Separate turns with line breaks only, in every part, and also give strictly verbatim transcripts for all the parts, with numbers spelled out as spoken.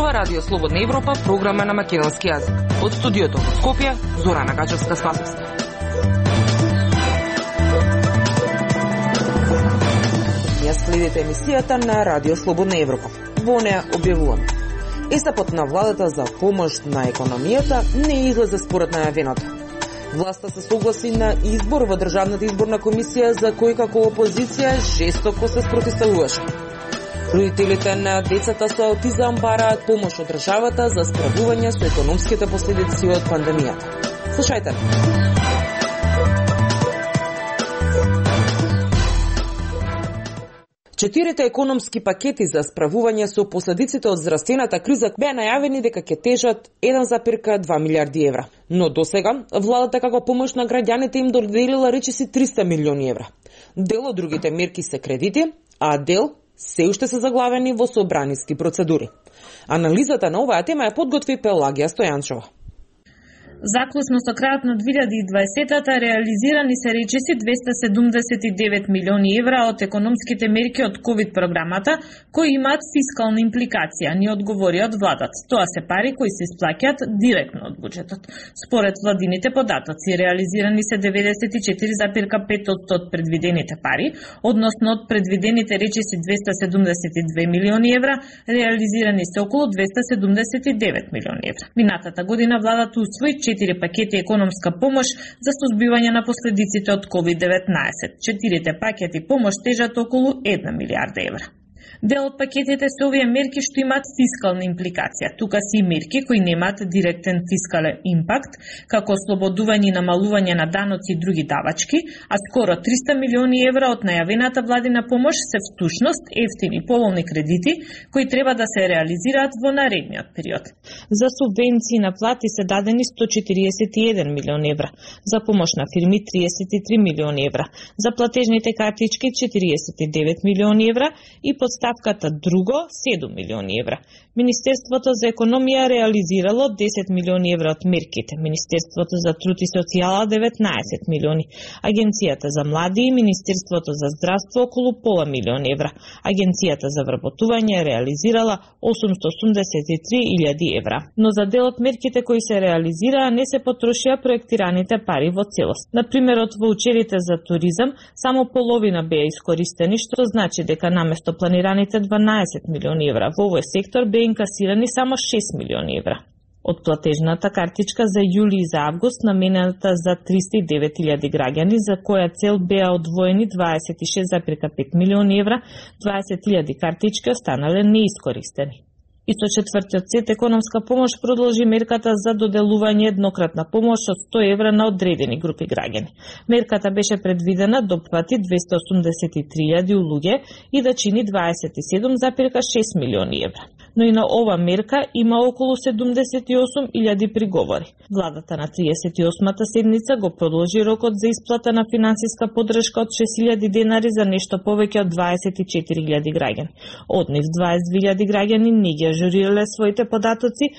зборува Радио Слободна Европа, програма на македонски јазик. Од студиото во Скопје, Зорана Гачевска-Спасовска. Ја следите емисијата на Радио Слободна Европа. Во неа објавуваме: ЕСАПот на владата за помош на економијата не излезе според најавеното. Власта се согласи на избор во Државната изборна комисија за кој како опозиција жестоко се спротивставуваше. Родителите на децата со аутизам бараат помош од државата за справување со економските последици од пандемијата. Слушајте. Четирите економски пакети за справување со последиците од здравствената криза беа најавени дека ќе тежат еден зарез две милиарди евра. Но досега владата како помош на граѓаните им доделила речиси триста милиони евра. Дел од другите мерки се кредити, а дел се уште се заглавени во собраниски процедури. Анализата на оваа тема ја подготви Пелагија Стојанчова.
Заклучно со крајот на две илјади и дваесетата реализирани се речиси двеста седумдесет и девет милиони евра од економските мерки од ковид програмата, кои имаат фискална импликација, ни одговори од владата. Тоа се пари кои се исплаќаат директно од буџетот. Според владините податоци, реализирани се деветдесет и четири зарез пет одсто од предвидените пари, односно од предвидените речиси двеста седумдесет и две милиони евра, реализирани се околу двеста седумдесет и девет милиони евра. Минатата година владата усвои четири пакети економска помош за сузбивање на последиците од ковид деветнаесет. Четирите пакети помош тежат околу една милиарда евра. Дел од пакетите се овие мерки што имаат фискална импликација. Тука се и мерки кои немаат директен фискален импакт, како ослободување и намалување на даноци и други давачки, а скоро триста милиони евра од најавената владина помош се всушност ефтини поволни кредити кои треба да се реализираат во наредниот период. За субвенции на плати се дадени сто четириесет и еден милион евра, за помош на фирми триесет и три милиони евра, за платежните картички четириесет и девет милиони евра и подставката друго седум милиони евра. Министерството за економија реализирало десет милиони евра од мерките, Министерството за труд и социјала деветнаесет милиони, Агенцијата за млади и Министерството за здравство околу пола милион евра. Агенцијата за вработување реализирала осумстотини осумдесет и три илјади евра. Но за дел од мерките кои се реализираа не се потрошија проектираните пари во целост. Например, од воучерите за туризам само половина беа искористени, што значи дека наместо планираните дванаесет милиони евра во овој сектор беа инкасирани само шест милиони евра. Од платежната картичка за јули и за август, наменената за триста и девет илјади граѓани, за која цел беа одвоени дваесет и шест зарез пет милиони евра, дваесет илјади картички останале неискористени. И со четвртиот сет економска помош продолжи мерката за доделување еднократна помош од сто евра на одредени групи граѓани. Мерката беше предвидена да опфати двеста осумдесет и три илјади луѓе и да чини дваесет и седум зарез шест милиони евра. Но и на ова мерка има околу седумдесет и осум илјади приговори. Владата на триесет и осмата седница го продолжи рокот за исплата на финансиска поддршка од шест илјади денари за нешто повеќе од дваесет и четири илјади граѓани. Од нив дваесет и две илјади граѓани не ги ажурирале своите податоци,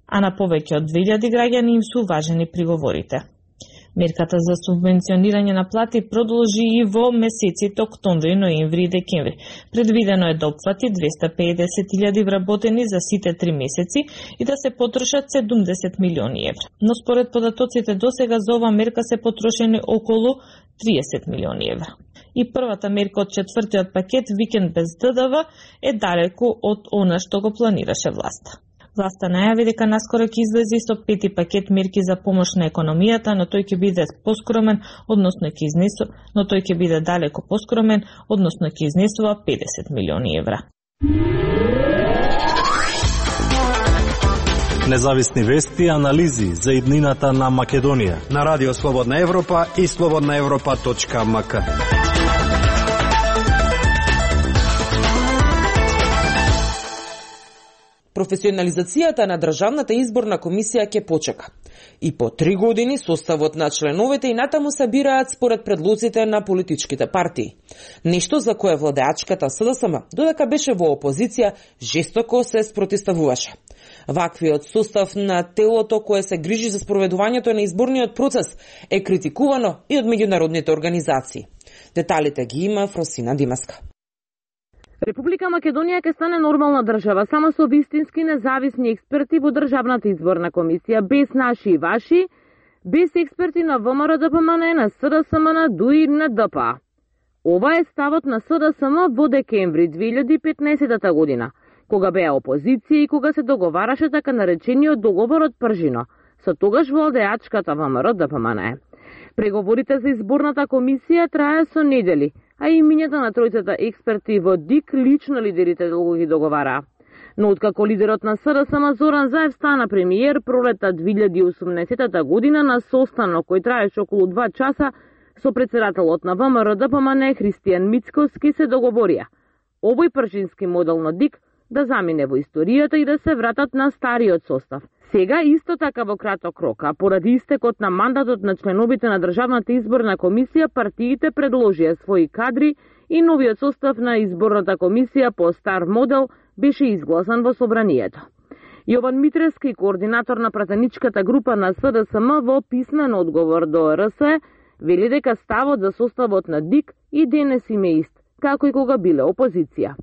а на повеќе од две илјади граѓани им се уважени приговорите. Мерката за субвенционирање на плати продолжи и во месеците октомври, ноември и декември. Предвидено е да опфати двеста педесет илјади вработени за сите три месеци и да се потрошат седумдесет милиони евра. Но според податоците досега за ова мерка се потрошени околу триесет милиони евра. И првата мерка од четвртиот пакет, викенд без Д Д В, е далеку од она што го планираше власта. Власта најави дека наскоро ќе излезе со пети пакет мерки за помош на економијата, но тој ќе биде поскромен, односно ќе изнесува, но тој ќе биде далеко поскромен, односно ќе изнесува педесет милиони евра.
Независни вести и анализи за иднината на Македонија
на Радио Слободна Европа и слободна европа точка ем ка.
Професионализацијата на Државната изборна комисија ќе почека. И по три години составот на членовите и натаму се бираат според предлозите на политичките партии. Нешто за кое владеачката С Д С М, додека беше во опозиција, жестоко се спротивставуваше. Ваквиот состав на телото кое се грижи за спроведувањето на изборниот процес е критикувано и од меѓународните организации. Деталите ги има Фросина Димаска.
Република Македонија ќе стане нормална држава само со вистински независни експерти во Државната изборна комисија, без наши и ваши, без експерти на ВМРО Д П М Н, на С Д С М Н, дуи на Д П А. Ова е ставот на С Д С М во декември две илјади и петнаесетта година, кога беа опозиција и кога се договараше така наречениот договор од Пржино, со тогаш владеачката ВМРО Д П М Н. Преговорите за изборната комисија трае со недели, а имињата на тројцата експерти во Д И К лично лидерите долго ги договараа. Но откако лидерот на С Д С М Зоран Заев стана премиер пролетта две илјади и осумнаесетта година на состанок кој траеше околу два часа со председателот на ВМРО Д П М Н Христијан Мицкоски се договорија овој пржински модел на Д И К да замине во историјата и да се вратат на стариот состав. Сега исто така во краток рок, а поради истекот на мандатот на членовите на Државната изборна комисија, партиите предложија своји кадри и новиот состав на изборната комисија по стар модел беше изгласан во собранието. Јован Митрески, координатор на пратеничката група на С Д С М, во писмен одговор до Р С, вели дека ставот за составот на Д И К и денес им е ист, како и кога биле опозиција.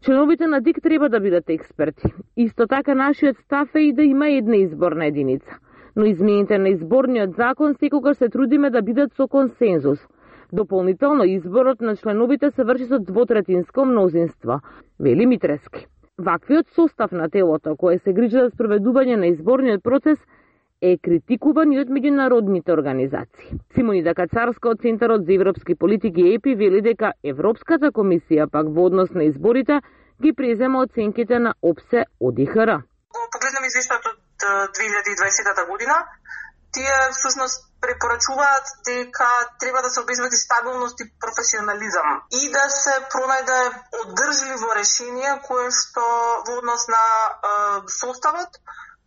Членовите на Д И К треба да бидат експерти. Исто така нашиот став е и да има една изборна единица. Но измените на изборниот закон секогаш се трудиме да бидат со консензус. Дополнително изборот на членовите се врши со двотретинско мнозинство, вели Митрески. Ваквиот состав на телото, кое се грижи за спроведување на изборниот процес, е критикуван и од меѓународните организации. Симонида Кацарска од Центарот за европски политики Е П И вели дека Европската комисија пак во однос на изборите ги презема оценките на О П С Е од И Х Р.
Погледнам извештајот од две илјади и дваесетта година, тие всушност препорачуваат дека треба да се обезбеди стабилност и професионализам и да се пронајде одржливо решение кое што во однос на е, составот,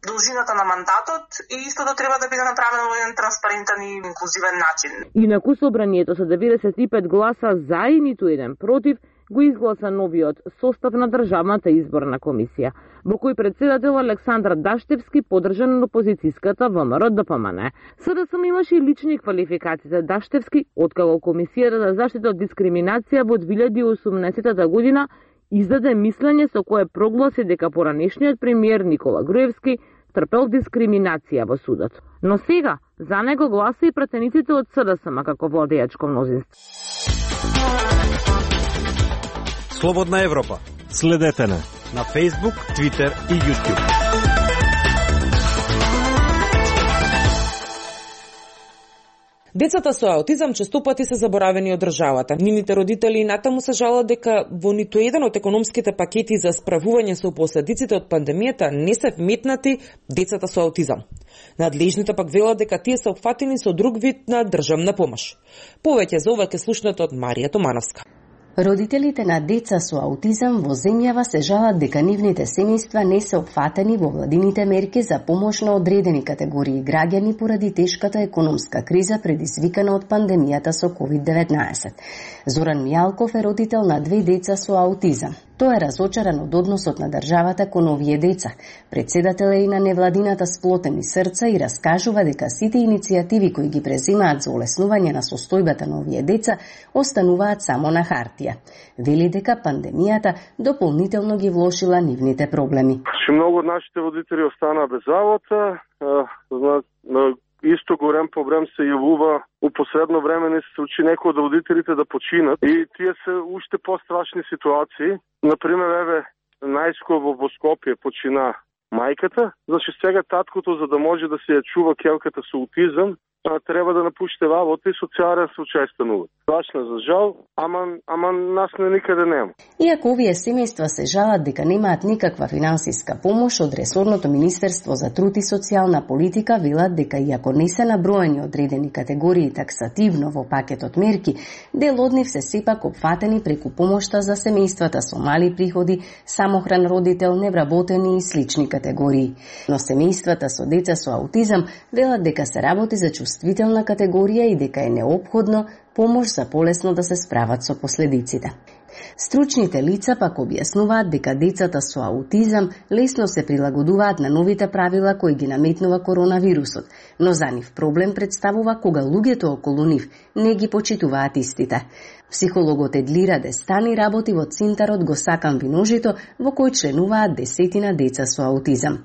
должината на мандатот и истото треба да биде направено во еден транспарентен и инклузивен начин.
Инаку собранието со деветдесет и пет гласа за и ниту еден против го изгласа новиот состав на Државната изборна комисија, во кој председател Александр Даштевски поддржан од опозицијската ВМРО Д П М Н. С Д С М имаше и лични квалификации за Даштевски, откако Комисијата за заштита од дискриминација во две илјади и осумнаесетта година издаде мислење со кое прогласи дека поранешниот премиер Никола Груевски трпел дискриминација во судот. Но сега за него гласа и пратениците од С Д С М како владеачко мнозинство.
Слободна Европа.
Следете на
на Facebook, Twitter и YouTube.
Децата со аутизам честопати се заборавени од државата. Нивните родители и натаму се жалат дека во ниту еден од економските пакети за справување со последиците од пандемијата не се вметнати децата со аутизам. Надлежните пак велат дека тие се опфатени со друг вид на државна помош. Повеќе за ова ќе слушнете од Марија Томановска.
Родителите на деца со аутизам во земјава се жалат дека нивните семејства не се опфатени во владините мерки за помош на одредени категории граѓани поради тешката економска криза предизвикана од пандемијата со ковид деветнаесет. Зоран Мијалков е родител на две деца со аутизам. Тој е разочаран од односот на државата кон овие деца. Председател е и на невладината Сплотени срца и раскажува дека сите иницијативи кои ги преземаат за олеснување на состојбата на овие деца остануваат само на хартија. Вели дека пандемијата дополнително ги влошила нивните проблеми.
Че многу од нашите водители останаа без работа, исто голем проблем се јавува у последно време не се случи некои од родителите да починат и тие се уште пострашни ситуации. Например, еве, најскоро во Скопје почина мајката, значи сега таткото за да може да се ја чува келката со аутизам, треба да напуште работа и социјален случај станува. Страшно за жал, ама, ама нас не никаде нема.
Иако овие семејства се жалат дека немаат никаква финансиска помош од ресорното Министерство за труд и социјална политика, велат дека иако не се наброени одредени категории таксативно во пакетот мерки, дел од нив се сепак опфатени преку помошта за семејствата со мали приходи, самохран родител, невработени и слични категории. Но семејствата со деца со аутизам велат дека се работи за чувствителна категорија и дека е неопходно помош за полесно да се справат со последиците. Стручните лица пак објаснуваат дека децата со аутизам лесно се прилагодуваат на новите правила кои ги наметнува коронавирусот, но за нив проблем представува кога луѓето околу нив не ги почитуваат истите. Психологот Едлира Дестани работи во Центарот Го сакам виножито, во кој членуваат десетина деца со аутизам.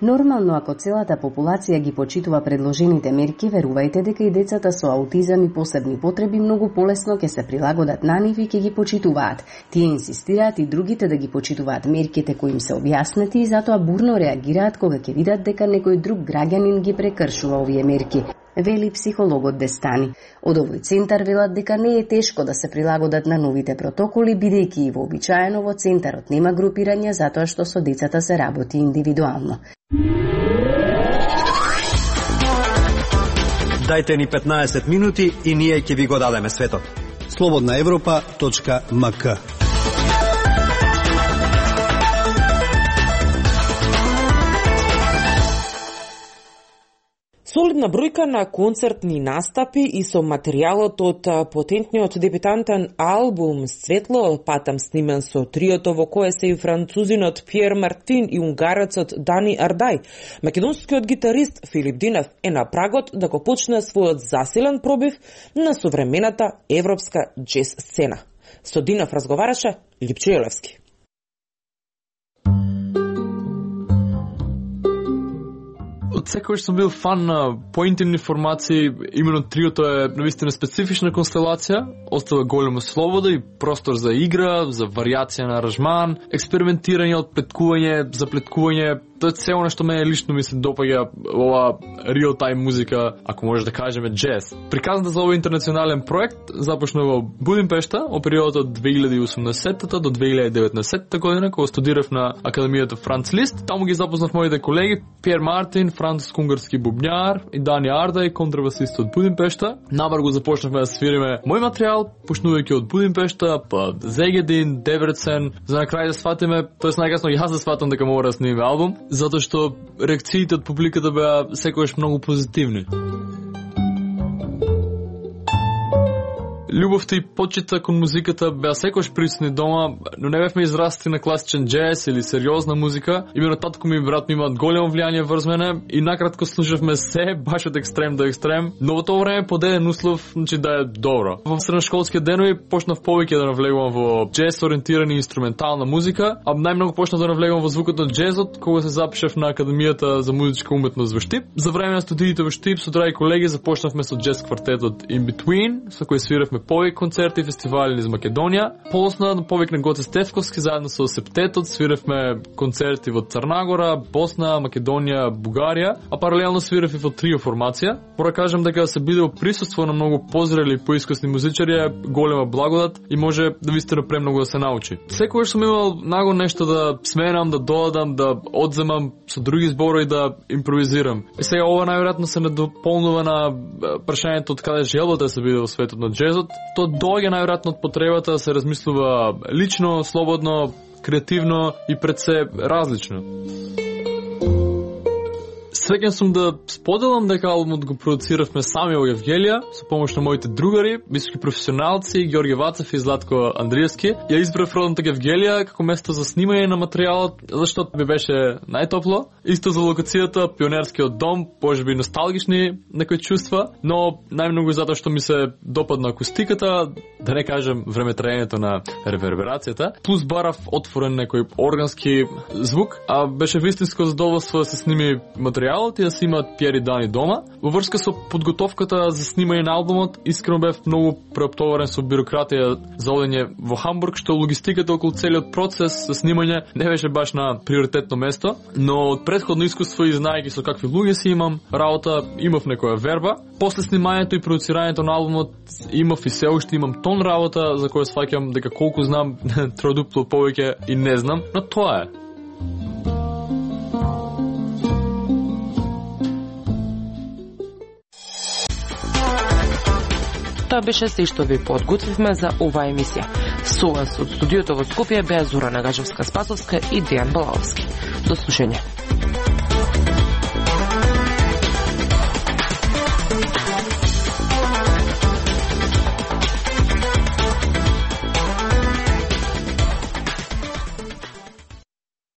Нормално, ако целата популација ги почитува предложените мерки, верувајте дека и децата со аутизам и посебни потреби многу полесно ќе се прилагодат на нив и ќе ги почитуваат. Тие инсистираат и другите да ги почитуваат мерките кои им се објаснети и затоа бурно реагираат кога ќе видат дека некој друг граѓанин ги прекршува овие мерки, вели психологот Дестани. Од овој центар велат дека не е тешко да се прилагодат на новите протоколи, бидејќи и вообичаено во центарот нема групирање затоа што со децата се работи индивидуално.
Дајте ни петнаесет минути и ние ќе ви го дадеме светот.
слободна европа точка ем ка.
Солидна бројка на концертни настапи и со материјалот од потентниот дебютантен албум Светло, патам снимен со триото во кое се и французинот Пиер Мартин и унгарецот Дани Ардај. Македонскиот гитарист Филип Динев е на прагот да го почне својот засилен пробив на современата европска џез сцена. Со Динев разговараше Липче Елевски.
Од секојаш сум бил фан на поинтимни формации, именно триото е навистина специфична констелација, остава голема слобода и простор за игра, за варијација на аранжман, експериментирање, отплеткување, заплеткување. Тоа е цело нешто мене лично ми се допаѓа ова реал-тайм музика, ако може да кажеме џез. Приказната за овој интернационален проект започна во Будимпешта во периодот од две илјади и осумнаесетта до две илјади и деветнаесетта година, кога студирав на Академијата Франц Лист. Таму ги запознав моите колеги Пиер Мартин, француско-унгарски бубњар, и Дани Ардај, контрабасист од Будимпешта. Навар го започнавме да свириме мој материјал, почнувајќи од Будимпешта, па Зегедин, Дебрецен, за на крај да сватиме, тоест најкасно јас да сватам дека мора да снимиме албум, затоа што реакциите од публиката беа секогаш многу позитивни. Љубовта и почита кон музиката беа секогаш присутни дома, но не бевме израсти на класичен џез или сериозна музика. Имено татко ми и брат ми имаат големо влијание врз мене и накратко слушавме се баш од екстрем до екстрем, но во тоа време под еден услов, значи да е добро. Во средношколските денови почнав повеќе да навлегувам во џез ориентирани инструментална музика, а најмногу почнав да навлегувам во звукот на џезот кога се запишав на Академијата за музичка уметност во Штип. За време на студиите во Штип со драги колеги започнавме со џез квартетот In Between, со кој свиравме повеќе концерти и фестивали низ Македонија. После повеќе на Гоце Стефковски заедно со Септетот свиравме концерти во Црнагора, Босна, Македонија, Бугарија, а паралелно свирав и во трио формација. Мора кажам дека се биде во присуство на многу позрели и поискусни музичари е голема благодат и може да вистина премногу да се научи. Секогаш сум имал наго нешто да сменам, да додадам, да одземам со други зборови да импровизирам. И сега ова најверојатно се недополнува на прашањето од каде желбата да се биде во светот на џезот. Тоа доаѓа најверојатно од потребата да се размислува лично, слободно, креативно и пред се различно. Среќен сум да споделам дека албумот го продуциравме сами во Евгелија со помош на моите другари, високи професионалци Ѓорѓе Вацев и Златко Андриевски. Ја избрав родната Евгелија како место за снимање на материјалот, зашто ми беше најтопло. Исто за локацијата, пионерскиот дом, можеби носталгични некои чувства, но најмногу затоа што ми се допадна акустиката, да не кажем времетраењето на реверберацијата, плюс барав отворен некој органски звук, а беше вистинско задоволство да се сними материјал и да се имаат Пиер и Дани дома. Во врска со подготовката за снимање на албумот, искрено бев многу преоптоварен со бирократија за одење во Хамбург, што логистиката околу целиот процес за снимање не беше баш на приоритетно место, но од претходно искуство и знаејќи со какви луѓе си имам работа, имав некоја верба. После снимањето и продуцирањето на албумот имав и се уште имам тон работа за која сваќам дека колку знам троодупло повеќе и не знам, но тоа е.
Тоа беше се што ви подготвивме за оваа емисија. Со вас од студиото во Скопје беа Зора Нагажевска-Спасовска и Дејан Балаовски. До слушање.